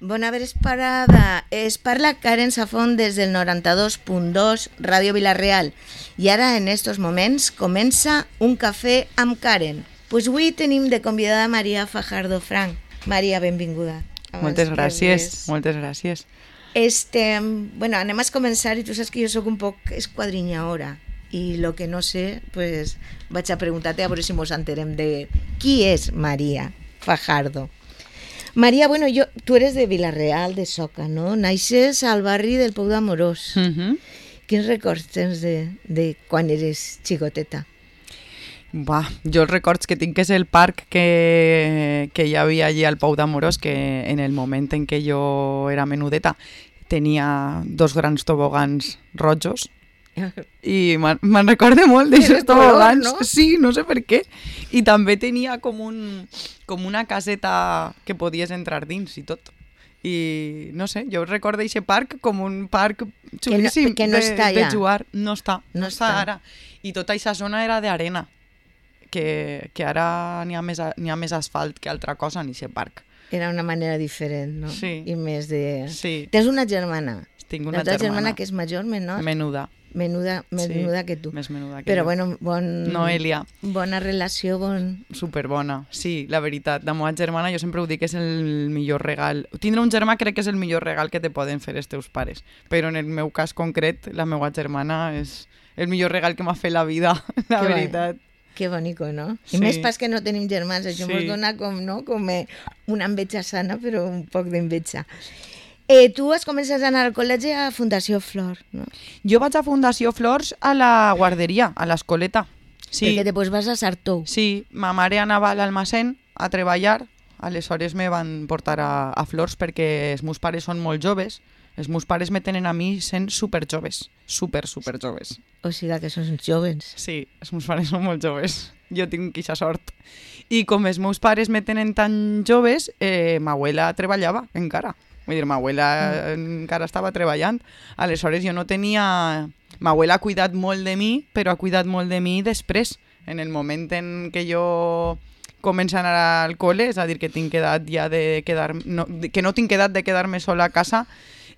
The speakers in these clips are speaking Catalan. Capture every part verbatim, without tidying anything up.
Bona vesprada. Es parla Karen Safón des del noranta-dos punt dos Ràdio Vila-real i ara en estos moments comença Un cafè amb Karen. Pues avui tenim de convidada Maria Fajardo Franch. Maria, benvinguda. Moltes gràcies, moltes gràcies. Este, bueno, anem a començar i tu saps que jo sóc un poc esquadrinyadora i lo que no sé, pues vaig a preguntar-te a veure si mos enterem de qui és Maria Fajardo. Maria, bueno, yo, tú eres de Vila-real, de Soca, no? Naixes al barri del Pou d'Amorós. Uh-huh. Quins records tens de, de quan eres xicoteta? Va, jo els records que tinc és el parc que, que hi havia allí al Pou d'Amorós, que en el moment en què jo era menudeta tenia dos grans tobogans rojos i me'n me recordo molt d'aixòs tobogans, no? Sí, no sé per què. I també tenia com, un, com una caseta que podies entrar dins i tot. I no sé, jo recordo aquest parc com un parc xulíssim que no, que no de, està de ja. jugar. No està, no, no està està ara. I tota aquesta zona era d'arena, que, que ara n'hi ha, més, n'hi ha més asfalt que altra cosa en aquest parc. Era una manera diferent, no? Sí. I més de... Sí. Tens una germana. Tinc una La teva germana. germana que és major, menor? Menuda. Menuda, menuda sí, que tu. Més menuda que Però jo. bueno, bon... Noelia. Bona relació, bon... Superbona, sí, la veritat. La meva germana, jo sempre ho dic, és el millor regal. Tindre un germà crec que és el millor regal que te poden fer els teus pares. Però en el meu cas concret, la meva germana és el millor regal que m'ha fet la vida, la que veritat. Va. Que bonico, no? I sí. més pas que no tenim germans, això sí. Ens dona com, no? com una enveja sana, però un poc d'enveja. Eh, tu has començat a anar al col·legi a Fundació Flor, no? Jo vaig a Fundació Flors a la guarderia, a l'escoleta. Sí. Perquè després vas a Sartou. Sí, ma mare anava a l'almacén a treballar, aleshores me van portar a, a Flors perquè els meus pares són molt joves. Els meus pares me tenen a mi sent superjoves, super, super joves. O sigui que són joves. Sí, els meus pares són molt joves. Jo tinc aquesta sort. I com els meus pares me tenen tan joves, eh, ma abuela treballava encara. Vull dir, ma abuela mm. encara estava treballant. Aleshores jo no tenia... Ma abuela ha cuidat molt de mi, però ha cuidat molt de mi després. En el moment en què jo començo a anar al col·le, és a dir, que tinc edat ja de quedar... No, que no tinc edat de quedar-me sola a casa,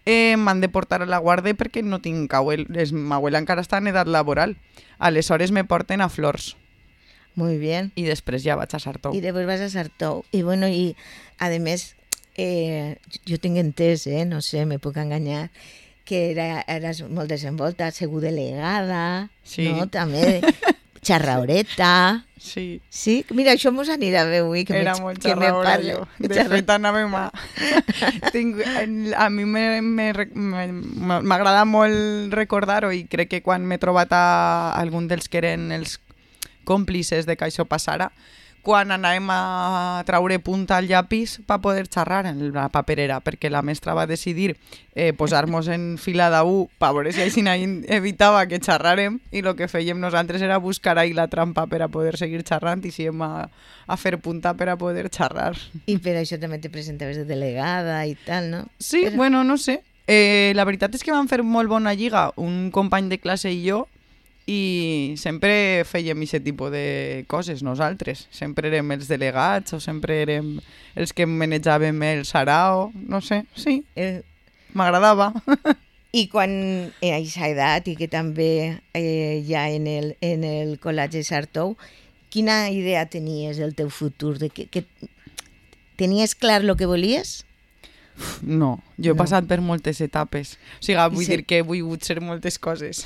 eh, m'han de portar a la guarda perquè no tinc abuel... Ma abuela encara està en edat laboral. Aleshores me porten a Flors. Muy bien. I després ja vaig a Sartou. I després vas a Sartou. I bueno, i a més... Eh, jo tinc entès, eh, no sé, me puc enganyar, que era, eres molt desenvolta, segur delegada, sí. No? També xarraoreta. Sí. Sí? Mira, això mos anirà bé avui. Que era me, molt que xarraora me jo. De xarra... fet, anàvem a... Tinc, a mi m'agrada molt recordar-ho i crec que quan m'he trobat a algun dels que eren els còmplices de que això passara, quan anàvem a traure punta al llapis per poder xerrar en la paperera, perquè la mestra va decidir eh, posar-nos en fila d'u per veure si així evitava que xerràrem i el que fèiem nosaltres era buscar ahí la trampa per a poder seguir xerrant i síem a, a fer punta per a poder xerrar. I per això també te presentaves de delegada i tal, no? Sí, Però... bueno, no sé. Eh, la veritat és que vam fer molt bona lliga, un company de classe i jo, i sempre fèiem aquest tipus de coses nosaltres. Sempre érem els delegats o sempre érem els que manejàvem el sarao, no sé, sí, eh... m'agradava. I quan a aquesta edat i que també eh, ja en el, en el col·legi Sartou, quina idea tenies del teu futur? De que, que tenies clar el que volies? No, jo he no. passat per moltes etapes. O sigui, vull sí. dir que he volgut ser moltes coses.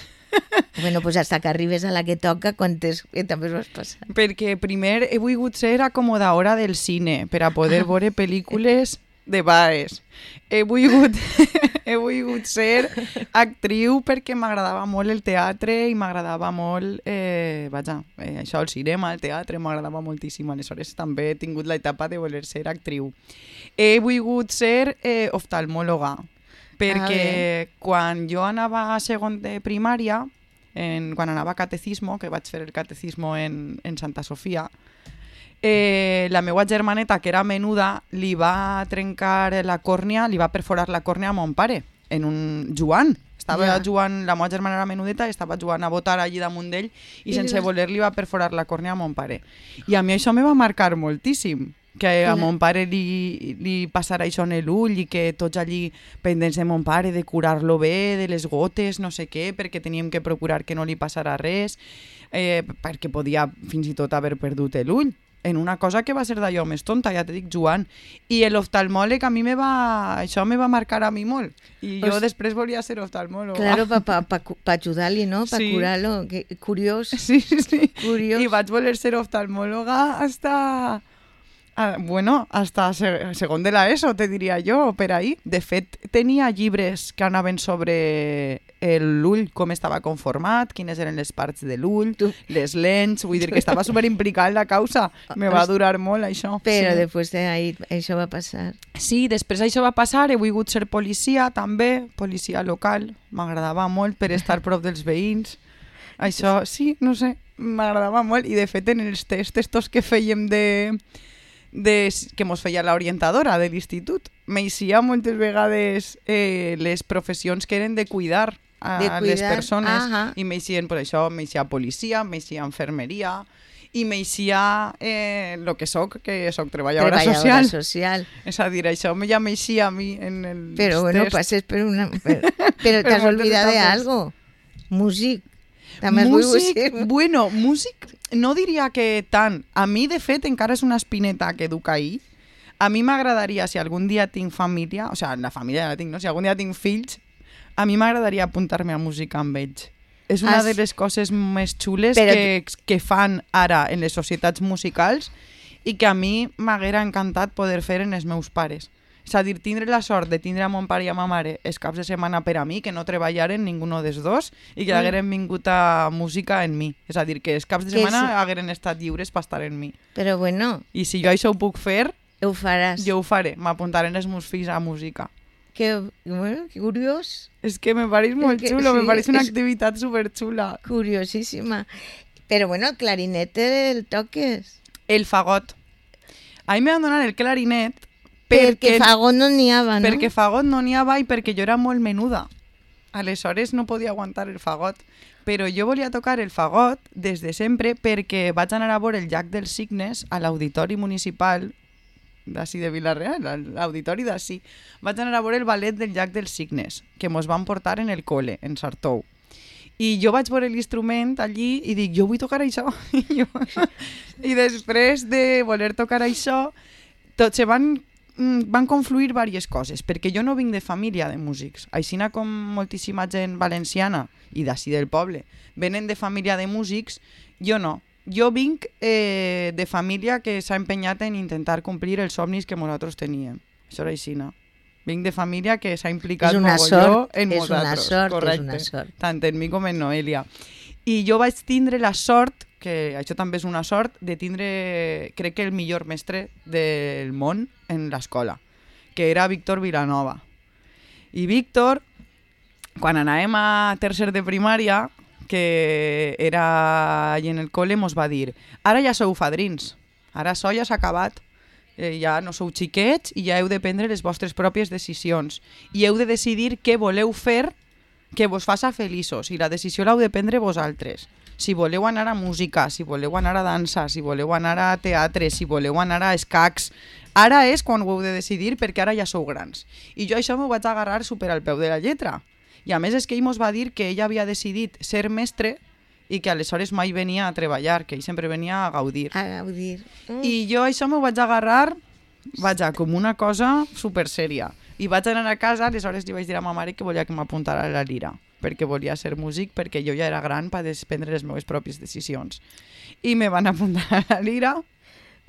Bueno, pues hasta que arribes a la que toca, quantes etapes vas passar? Perquè primer he volgut ser acomodadora del cine per a poder veure pel·lícules de bares. He volgut, he volgut ser actriu perquè m'agradava molt el teatre i m'agradava molt, eh, vaja, eh, això, el cinema, el teatre, m'agradava moltíssim. Aleshores també he tingut l'etapa de voler ser actriu. He volgut ser eh, oftalmòloga, perquè ah, quan jo anava a segon de primària, en, quan anava a catecismo, que vaig fer el catecismo en, en Santa Sofia, eh, la meva germaneta, que era menuda, li va trencar la còrnia, li va perforar la còrnia a mon pare, en un jugant. Estava yeah. jugant, la meva germana era menudeta, estava jugant a botar allí damunt d'ell i, I sense vas... voler li va perforar la còrnia a mon pare. I a mi això me va marcar moltíssim. que a mon pare li, li passarà això en l'ull i que tots allí pendents de mon pare, de curar-lo bé, de les gotes, no sé què, perquè teníem que procurar que no li passarà res, eh, perquè podia fins i tot haver perdut l'ull. En una cosa que va ser d'allò més tonta, ja te dic, Joan. I l'oftalmòleg a mi me va... Això me va marcar a mi molt. I jo pues, després volia ser oftalmòloga. Claro, per pa, pa, pa ajudar-li, no? Per sí. curar-lo. Curiós. Sí, sí. Curiós. I vaig voler ser oftalmòloga hasta... Ah, bueno, hasta segon de l'ESO, te diria jo, per ahí. De fet, tenia llibres que anaven sobre l'ull, com estava conformat, quines eren les parts de l'ull, les lents, vull dir que estava superimplicat en la causa. Me va durar molt, això. Però sí. després d'ahí això va passar. Sí, després això va passar, he volgut ser policia també, policia local, m'agradava molt per estar prop dels veïns. Això, sí, no sé, m'agradava molt. I de fet, en els tests estos que fèiem de... De, que mos feia l'orientadora de l'institut. M'eixia moltes vegades eh, les professions que eren de cuidar a de cuidar. les persones. Aha. I m'eixien per això, m'eixia policia, m'eixia infermeria i m'eixia eh, lo que soc, que soc treballadora, treballadora social. social. És a dir, això ja m'eixia a mi en el Però bueno, test. Passes per una... Per, però t'has oblidat de algo. Músic. També músic, bueno, músic no diria que tant. A mi, de fet, encara és una espineta que duc ahí. A mi m'agradaria, si algun dia tinc família, o sigui, la família ja la tinc, no? Si algun dia tinc fills, a mi m'agradaria apuntar-me a música amb ells. És una As... de les coses més xules Però... que, que fan ara en les societats musicals i que a mi m'haguera encantat poder fer en els meus pares. És a dir, tindre la sort de tindre a mon pare i a ma mare els caps de setmana per a mi, que no treballaren ninguno dels dos i que mm. hagueren vingut a música en mi. És a dir, que els caps de setmana sí. hagueren estat lliures per estar en mi. Però bueno... I si jo això ho puc fer... Ho faràs. Jo ho faré. M'apuntaré els meus fills a música. Que, bueno, que curiós. És que me pareix molt que, xulo, sí, me pareix una activitat superxula. Curiosíssima. Però bueno, el clarinet el toques. El fagot. A mi m'han donat el clarinet perquè, perquè fagot no n'hi havia, no? Perquè fagot no n'hi havia i perquè jo era molt menuda. Aleshores no podia aguantar el fagot. Però jo volia tocar el fagot des de sempre perquè vaig anar a veure el Llac dels Cignes a l'Auditori Municipal d'ací de Vila-real, l'auditori d'ací. Vaig anar a veure el ballet del Llac dels Cignes, que mos van portar en el cole, en Sartou. I jo vaig veure l'instrument allí i dic, jo vull tocar això. I, jo... I després de voler tocar això, tot se van, van confluir diverses coses, perquè jo no vinc de família de músics. Aixina com moltíssima gent valenciana i d'ací del poble venen de família de músics, jo no. Jo vinc eh, de família que s'ha empenyat en intentar complir els somnis que nosaltres teníem. Això era aixina. Vinc de família que s'ha implicat mogolló en és nosaltres. Una sort, correcte. És una sort. Tant en mi com en Noelia. I jo vaig tindre la sort, que això també és una sort, de tindre, crec que el millor mestre del món en l'escola, que era Víctor Vilanova. I Víctor, quan anàvem a tercer de primària, que era allà en el col·le, mos va dir, ara ja sou fadrins, ara això ja s'ha acabat, eh, ja no sou xiquets i ja heu de prendre les vostres pròpies decisions i heu de decidir què voleu fer que vos faça feliços i la decisió l'heu de prendre vosaltres. Si voleu anar a música, si voleu anar a dansa, si voleu anar a teatre, si voleu anar a escacs, ara és quan ho heu de decidir perquè ara ja sou grans. I jo això m'ho vaig agarrar super al peu de la lletra. I a més és que ell mos va dir que ell havia decidit ser mestre i que aleshores mai venia a treballar, que ell sempre venia a gaudir. A gaudir. Mm. I jo això m'ho vaig agarrar, vaja, com una cosa super sèria. I vaig anar a casa, aleshores li vaig dir a ma mare que volia que m'apuntara a la lira, perquè volia ser músic, perquè jo ja era gran per prendre les meves pròpies decisions. I me van apuntar a la lira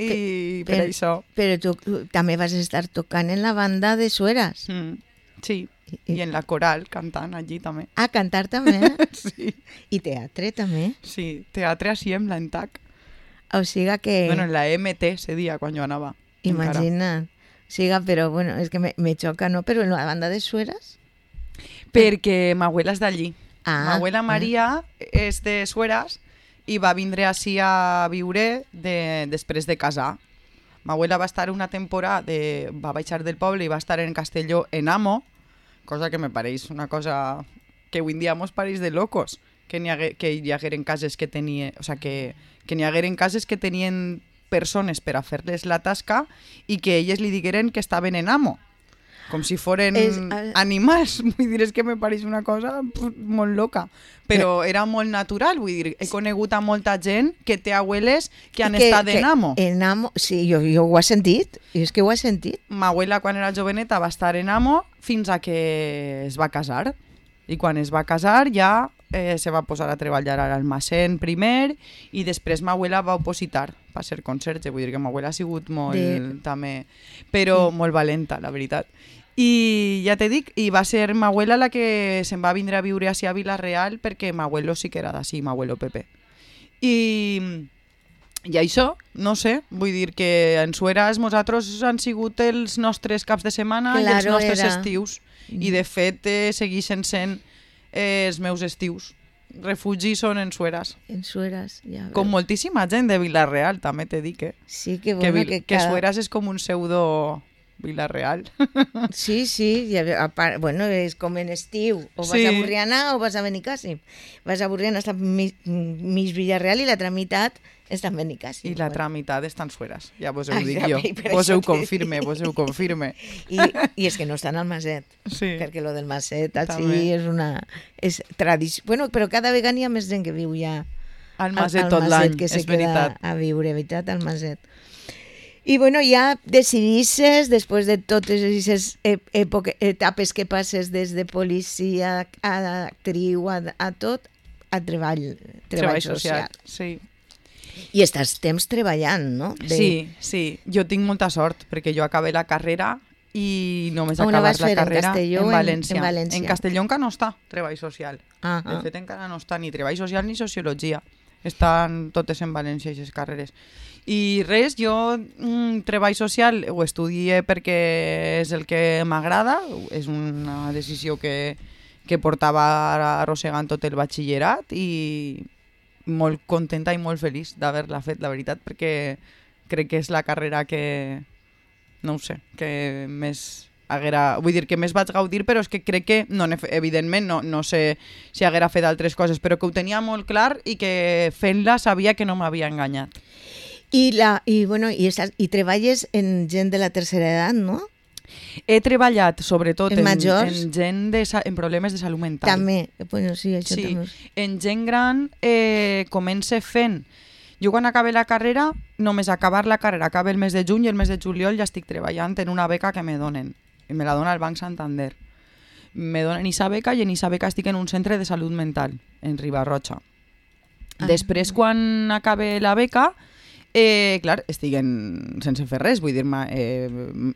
i per, per això... Però tu també vas estar tocant en la banda de Sueras. Mm, sí. I en la coral, cantant allí també. Ah, cantar també? Sí. I teatre també? Sí, teatre així en l'Antac. O sigui que... Bueno, en la M T se dia quan jo anava. Imagina't. O sigui, però bueno, és que me, me xoca, no? Però en la banda de Sueras? Perquè ma abuela és d'allí. Ah, ma abuela Maria ah. és de Sueras i va vindre així a viure de, després de casar. Ma abuela va estar una temporada, de, va baixar del poble i va estar en Castelló en Amo, cosa que me pareix una cosa que avui en dia mos pareix de locos, que, hi hagué, que hi hagueren cases que tenien, o sea, que, que hi hagueren cases que tenien persones per a fer-les la tasca i que elles li digueren que estaven en amo. Com si foren es, uh, animals. Vull dir, és que me pareix una cosa molt loca. Però eh, era molt natural, vull dir, he conegut a molta gent que té abueles que han que, estat que, en amo. En amo, sí, jo, jo ho he sentit, i és que ho he sentit. Ma abuela, quan era joveneta, va estar en amo fins a que es va casar. I quan es va casar ja eh, se va posar a treballar a l'almacén primer i després ma abuela va opositar per ser conserge. Vull dir que ma abuela ha sigut molt, de... també, però sí. molt valenta, la veritat. I ja te dic, i va ser ma abuela la que se'n va vindre a viure així a Vila-real perquè ma abuelo sí que era d'ací, ma abuelo Pepe. I, i això, no sé, vull dir que en Sueras nosaltres han sigut els nostres caps de setmana claro, i els nostres era. estius. I de fet eh, segueixen sent eh, els meus estius. Refugi són en Sueras. En Sueras, ja veus. Com moltíssima gent de Vila-real, també te dic, eh? Sí, que bueno, que, que, que cada... Sueras és com un pseudo... Vila-real. Sí, sí, ja, a part, bueno, és com en estiu, o vas sí. a Burriana o vas a Benicàssim. Vas a Burriana, està mig, mig Vila-real i l'altra meitat està en Benicàssim. I l'altra bueno. meitat estan Sueras, ja vos ho dic jo. Vos ho confirme, vos ho confirme. I, I és que no estan al Maset, sí. perquè lo del Maset així és una... És tradició. Bueno, però cada vegada hi ha més gent que viu ja al Maset tot l'any, és veritat. A viure, veritat, al Maset. I bueno, ja decidisses, després de totes aquestes etapes que passes des de policia a actriu, a, a tot, a treball, treball, treball social. social. Sí. I estàs temps treballant, no? De... Sí, sí. Jo tinc molta sort, perquè jo acabé la carrera i només acabat la carrera en, Castelló, en València. En, en València. En Castelló encara no està treball social. Ah, de ah. fet, encara no està ni treball social ni sociologia. Estan totes en València, aquestes carreres. I res, jo mm, treball social ho estudié perquè és el que m'agrada, és una decisió que, que portava arrossegant tot el batxillerat i molt contenta i molt feliç d'haver-la fet, la veritat, perquè crec que és la carrera que, no ho sé, que més haguera, vull dir que més vaig gaudir, però és que crec que, no, evidentment, no, no sé si haguera fet altres coses, però que ho tenia molt clar i que fent-la sabia que no m'havia enganyat. I, la, i, bueno, i, estàs, i treballes en gent de la tercera edat, no? He treballat sobretot en, en, en gent de, en problemes de salut mental. També, bueno, sí, això sí. també. En gent gran eh, comença fent... Jo quan acabé la carrera, només acabar la carrera, acaba el mes de juny i el mes de juliol ja estic treballant en una beca que me donen. I me la dona el Banc Santander. Me donen aquesta beca i en aquesta beca estic en un centre de salut mental, en Ribarroja. Ah. Després, quan acabe la beca... Eh, clar, estic en, sense fer res, vull dir, eh,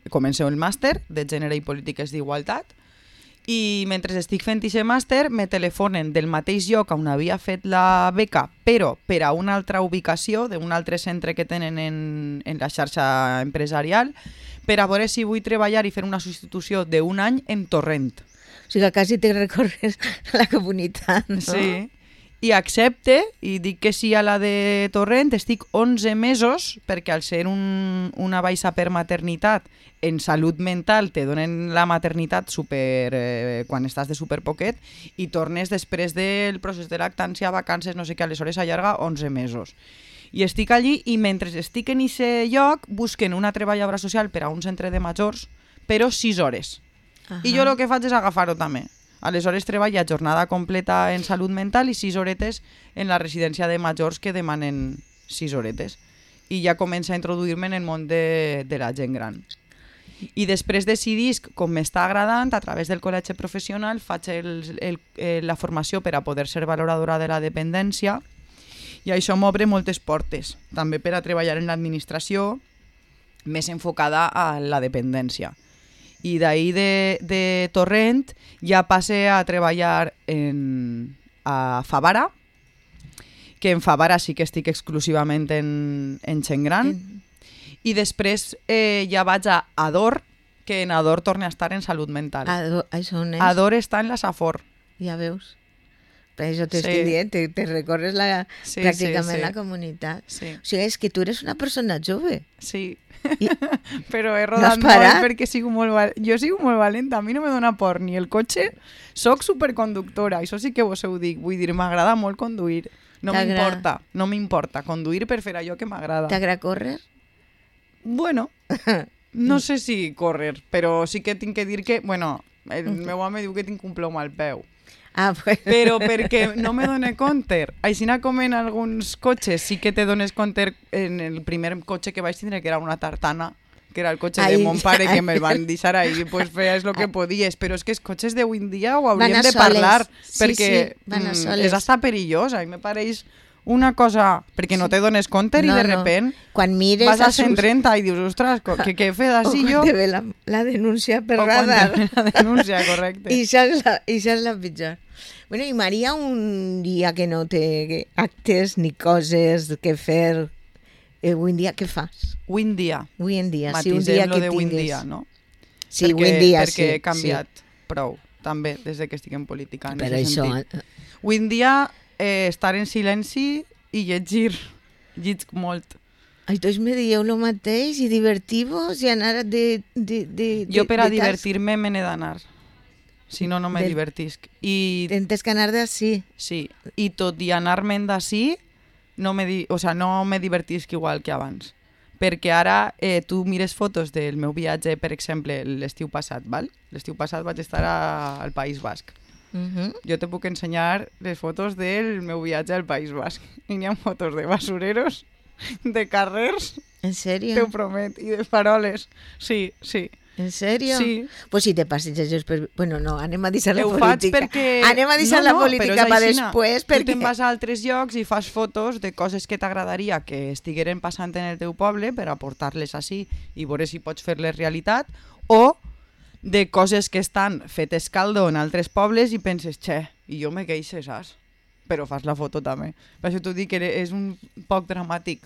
començo el màster de Gènere i Polítiques d'Igualtat i mentre estic fent aquest màster me telefonen del mateix lloc on havia fet la beca, però per a una altra ubicació d'un altre centre que tenen en, en la xarxa empresarial, per a veure si vull treballar i fer una substitució d'un any en Torrent. O sigui que quasi te recorres la comunitat, no? Sí. I accepte i dic que sí a la de Torrent, estic onze mesos perquè al ser un, una baixa per maternitat en salut mental te donen la maternitat super, eh, quan estàs de superpoquet i tornes després del procés de lactància, vacances, no sé què, aleshores allarga onze mesos. I estic allí i mentre estic en aquest lloc busquen una treballadora social per a un centre de majors, però sis hores. Uh-huh. I jo el que faig és agafar-ho també. Aleshores treballa jornada completa en salut mental i sis horetes en la residència de majors que demanen sis horetes. I ja comença a introduir-me en el món de, de la gent gran. I després decidisc, com m'està agradant, a través del col·legi professional faig el, el, el, la formació per a poder ser valoradora de la dependència i això m'obre moltes portes, també per a treballar en l'administració més enfocada a la dependència. I d'ahir de, de Torrent ja passe a treballar en, a Favara, que en Favara sí que estic exclusivament en, en gent gran, i després eh, ja vaig a Ador, que en Ador torna a estar en salut mental. Ador, això on és? Ador està en la Safor. Ja veus. Per això t'estic sí. dient, te, te recorres la, sí, pràcticament sí, sí. la comunitat. Sí. O sigui, és que tu eres una persona jove. Sí. I... però he rodat no molt perquè sigo molt val... jo sigo molt valenta, a mi no me dona por ni el cotxe, soc superconductora, això sí que vos ho dic, vull dir, m'agrada molt conduir. No m'importa, no m'importa. Conduir per fer allò que m'agrada. T'agrada córrer? Bueno, no sé si córrer, però sí que tinc que dir que, bueno, el meu home diu que tinc un plom al peu. Ah, pues... Però perquè no me done compte. Aixina com en alguns cotxes sí que te dones compte. En el primer cotxe que vaig tindre, que era una tartana, que era el cotxe Ai, de mon pare, ai. que me'l van deixar ahí, pues feies el que podies. Però és que els cotxes d'avui en dia ho Van hauríem a de soles. parlar, Sí, perquè sí, van a mm, soles. és hasta perillós. A mi me pareix una cosa... Perquè no te dones compte No, i de no. repent Quan mires vas a a sus- cent trenta i dius, ostres, co- què, què he fet O així quan jo? te ve la, la denúncia per O quan radar. te ve la denúncia, correcte. I això és la, i això és la pitjor. Bueno, i Maria, un dia que no té actes ni coses que fer, eh, avui en dia què fas? Avui en dia. Avui en dia, si un dia Matisem lo que de avui en tingues... dia, no? Sí, perquè, avui en dia, perquè sí. he canviat prou, també, des de que estic en política. Sí. En Però ese això... sentit. Avui en dia, eh, estar en silenci i llegir. Llegir molt. Els dos me dieu el mateix i divertir-vos i anar de... de, de Jo per a de, de divertir-me me n'he d'anar. Si no, no me Del- divertisc. I Tens que anar d'ací. sí, i tot i anar-me'n d'ací, no me, di... o sea, no me divertisc igual que abans. Perquè ara eh, tu mires fotos del meu viatge, per exemple, l'estiu passat, val? L'estiu passat vaig estar a, al País Basc. Uh -huh. Jo te puc ensenyar les fotos del meu viatge al País Basc. I n'hi ha fotos de basureros, de carrers, En sèrio? t'ho promet, i de faroles. Sí, sí. En sèrio? Sí. Pues si te passeges per... Bueno, no, anem a deixar la Ho faig política. perquè... Anem a deixar la política però és per aixina. després, Tu perquè... te'n vas a altres llocs i fas fotos de coses que t'agradaria que estigueren passant en el teu poble per aportar-les així i veure si pots fer-les realitat, o de coses que estan fetes caldo en altres pobles i penses, xe, i jo me queixo, saps? Però fas la foto també. Per això t'ho dic que és un poc dramàtic.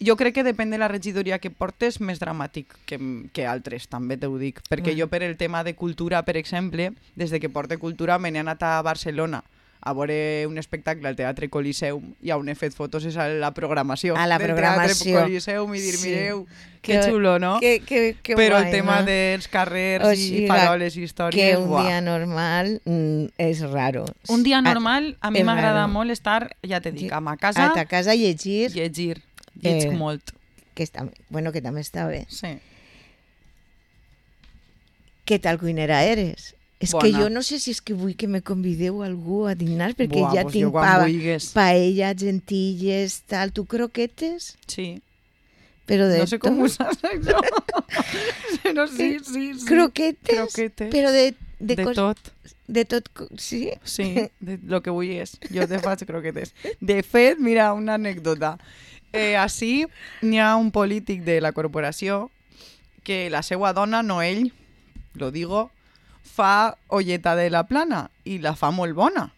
Jo crec que depèn de la regidoria que portes, més dramàtic que, que altres, també t'ho dic. Perquè Mm. jo per el tema de cultura, per exemple, des de que porte cultura me n'he anat a Barcelona a veure un espectacle al Teatre Coliseum i on he fet fotos és a la programació A la del programació. Teatre Coliseum i dir, Sí. mireu, que, que xulo, no? Que, que, que Però guai, el tema no? dels carrers O i sigui, faroles i Que històries, un buah. dia normal mm, és raro. Un dia A- normal, a mi és m'agrada raro. molt estar, ja te dic, a ma A casa, ta casa llegir, llegir. Lleig Eh, molt. que està, bueno, que també està bé. Sí. Què tal cuinera eres? És Bona. que jo no sé si és que vull que me convideu algú a dinar, perquè Buah, ja pues jo tinc quan pa, vulguis. paella, gentilles, tal. Tu croquetes? Sí. Però de No sé com tot. ho saps, això. Però sí, sí, sí. Croquetes? Croquetes. Però de, de, De cos- tot. de tot, co- sí? Sí, de lo que vulguis. Jo te faig croquetes. De fet, mira, una anècdota. Eh, així n'hi ha un polític de la corporació que la seva dona, no ell, lo digo, fa olleta de la plana i la fa molt bona.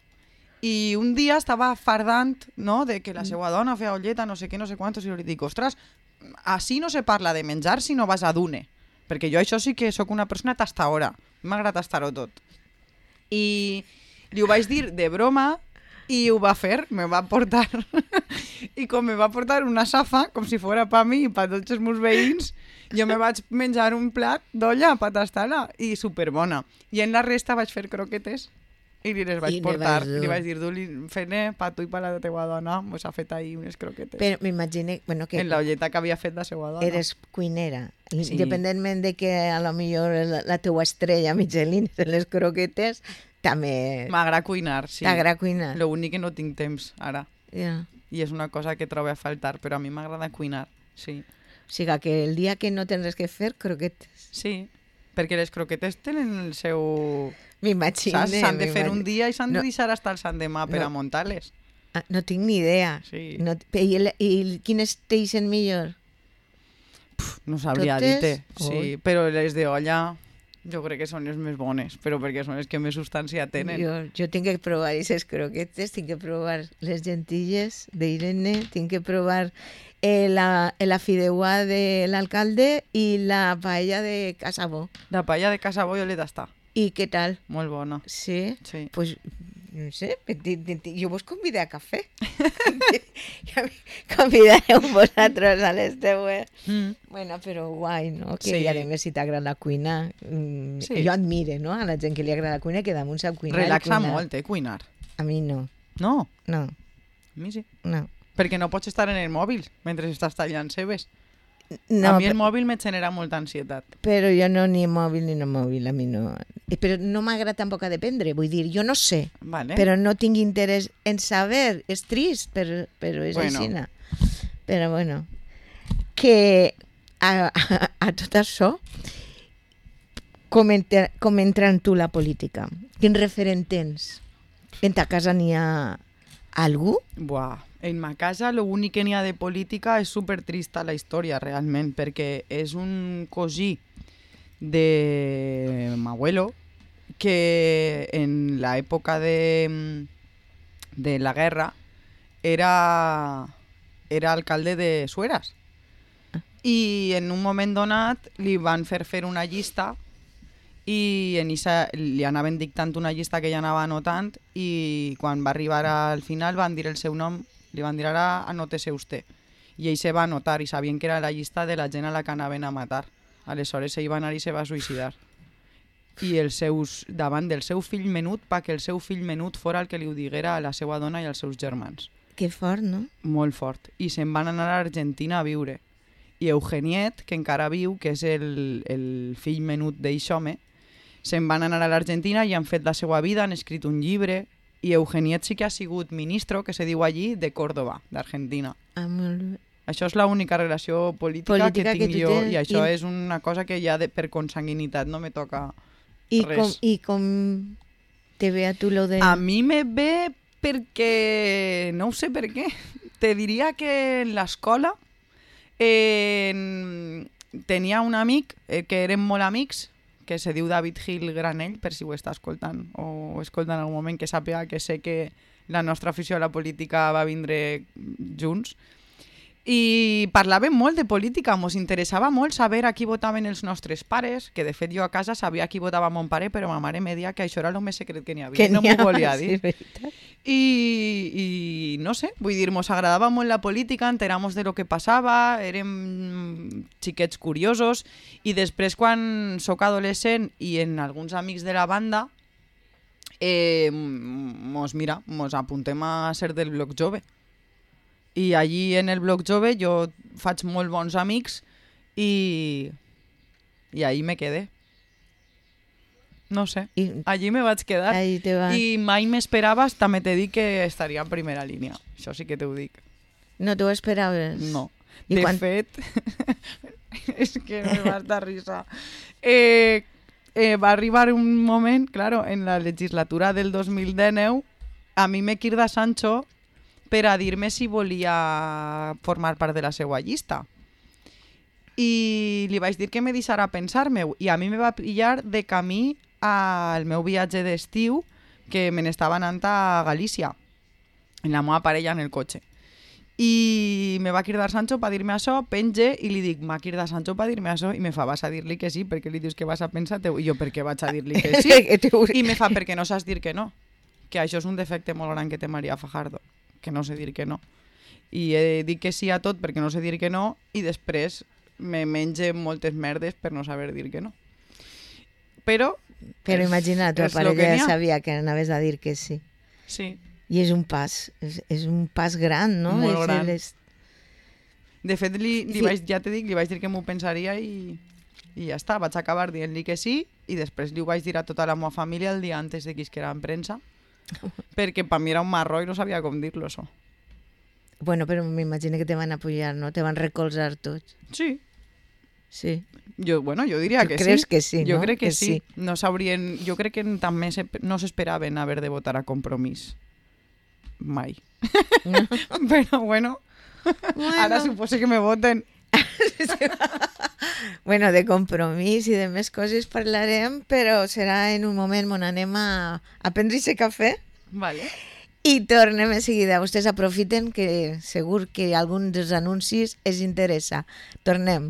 I un dia estava fardant, no?, de que la seva dona feia olleta, no sé què, no sé quantos, i jo li dic, ostres, així no se parla de menjar si no vas a Dune. Perquè jo això sí que sóc una persona tastadora. M'agrada tastar-ho tot. I li ho vaig dir de broma i ho va fer, me va portar i com me va portar una safa com si fora per mi i per tots els meus veïns, jo me vaig menjar un plat d'olla per tastar-la i superbona. I en la resta vaig fer croquetes i li les vaig I li portar. vas dur. Li vaig dir, du-li, fent-ne per tu i per la teva dona, mos ha fet ahir unes croquetes. Però m'imagine, bueno, que En la olleta que havia fet la seva dona. eres cuinera. Sí. Independentment de que a lo millor la, la teua estrella Michelin en les croquetes, també M'agrada cuinar, sí. t'agrada cuinar. Lo únic que no tinc temps ara. Ja. I és una cosa que trobo a faltar, però a mi m'agrada cuinar, sí. O sigui que el dia que no tens res que fer, croquetes. Sí, perquè les croquetes tenen el seu... M'imagine. Saps? S'han de fer un m'imagine. dia i s'han No. de deixar hasta el sant demà per No. a muntar-les. Ah, no tinc ni idea. Sí. No, i, el, I quines t'eixen millor? Puf, no sabria Totes? dir-te. Ui. Sí, però les d'olla jo crec que són les més bones, però perquè són les que més substància tenen. Jo, jo tinc que provar aquestes croquetes, tinc que provar les gentilles d'Irene, tinc que provar eh, la, la fideuà de l'alcalde i la paella de Casabó. La paella de casa bo jo l'he d'estar. I què tal? Molt bona. Sí? Sí. Pues, no sé, ti- ti- ti- jo vos convidé a cafè. Ja me convidareu vosaltres a les teues. Mm. Bueno, però guai, no? Que Sí. i a més, si t'agrada la cuina, mm, Sí. jo admire, no? A la gent que li agrada la cuina, que damunt sap cuinar. i Relaxa cuinar. molt, eh, cuinar. A mi no, No? no. A mi sí. No. Perquè no pots estar en el mòbil mentre estàs tallant cebes. No, a mi el però, mòbil me genera molta ansietat. però jo no ni mòbil ni no mòbil, a mi no. Eh, Però no m'agrada tampoc a dependre, vull dir, jo no sé, Vale. però no tinc interès en saber, és trist, però, però és Bueno. aixina. Però bueno, que a, a, a tot això, com, entra, com entra en tu la política? Quin referent tens? En ta casa n'hi ha algú? Buah, en ma casa l'únic que n'hi ha de política és super trista la història realment, perquè és un cosí de m'abuelo que en l'època de, de la guerra era, era alcalde de Sueras. I en un moment donat li van fer fer una llista i en Isa li anaven dictant una llista que ella anava anotant i quan va arribar al final van dir el seu nom, li van dir ara anótese usted. I ell se va anotar i sabien que era la llista de la gent a la que anaven a matar. Aleshores ell va anar i se va suïcidar. I els seus, davant del seu fill menut, perquè el seu fill menut fora el que li ho diguera a la seva dona i als seus germans. Que fort, no? Molt fort. I se'n van anar a Argentina a viure. I Eugeniet, que encara viu, que és el, el fill menut d'eix home, se'n van anar a l'Argentina i han fet la seva vida, han escrit un llibre, i Eugeniet sí que ha sigut ministro, que se diu allí, de Córdoba, d'Argentina. Ah, molt bé. Això és l'única relació política, Política que que tinc tu jo, tens, i això i- és una cosa que ja de, per consanguinitat no me toca I res. com, I com te ve a tu lo de... A mi me ve perquè... no ho sé per què. Te diria que en l'escola eh, tenia un amic eh, que érem molt amics, que se diu David Gil Granell, per si ho està escoltant o ho escolta en algun moment, que sàpiga que sé que la nostra afició a la política va vindre junts. I parlàvem molt de política, mos interessava molt saber a qui votaven els nostres pares, que de fet jo a casa sabia a qui votava mon pare, però ma mare me deia que això era el més secret que n'hi havia, que no n'hi m'ho ha, volia sí, dir. veritat. I, I no sé, vull dir, mos agradava molt la política, enteramos de lo que passava, érem xiquets curiosos, i després quan sóc adolescent i en alguns amics de la banda, eh, mos, mira, mos apuntem a ser del bloc jove. I allí en el bloc jove jo faig molt bons amics i, i ahí me quedé. No sé, I allí me vaig quedar. ahí te va. I mai m'esperaves, també t'he dit que estaria en primera línia. Això sí que t'ho dic. No t'ho esperaves? No. I De quan- fet, és que me va dar risa. Eh, eh, va arribar un moment, claro, en la legislatura del dos mil dinou, a mi me crida Sancho per a dir-me si volia formar part de la seva llista. I li vaig dir que me deixara pensar-me, i a mi me va pillar de camí al meu viatge d'estiu, que me n'estava anant a Galícia, en la meva parella en el cotxe. I me va cridar Sancho per dir-me això, penge, i li dic, m'ha cridat Sancho per dir-me això, i me fa, vas a dir-li que sí, perquè li dius que vas a pensar, i jo, per què vaig a dir-li que sí? I me fa, perquè no saps dir que no, que això és un defecte molt gran que té María Fajardo, que no sé dir que no. I he dit que sí a tot perquè no sé dir que no, i després me menge moltes merdes per no saber dir que no. Però... Però és- imagina, tu és lo parella que n'hi ja ha. sabia que anaves a dir que sí. Sí. I és un pas, és, és un pas gran, no? Molt És gran. el- és- De fet, li, li Sí. vaig, ja t'he dit, li vaig dir que m'ho pensaria i, i ja està. Vaig acabar dient-li que sí i després li ho vaig dir a tota la meva família el dia antes de que isquera en premsa perquè per mi era un marró i no sabia com dir-lo, això. Bueno, però m'imagino que te van apoyar, no? Te van recolzar tots. Sí. Sí. Jo, bueno, jo diria Tu que creus sí. que sí, Jo no? crec que, Que sí. sí. No sabrien... Jo crec que també se, no s'esperaven haver de votar a Compromís. Mai. Però bueno, ara suposo que me voten. Bueno, de compromís i de més coses parlarem, però serà en un moment on anem a, a prendre ese cafè Vale. i tornem en seguida. Vostès aprofiten que segur que algun dels anuncis els interessa. Tornem.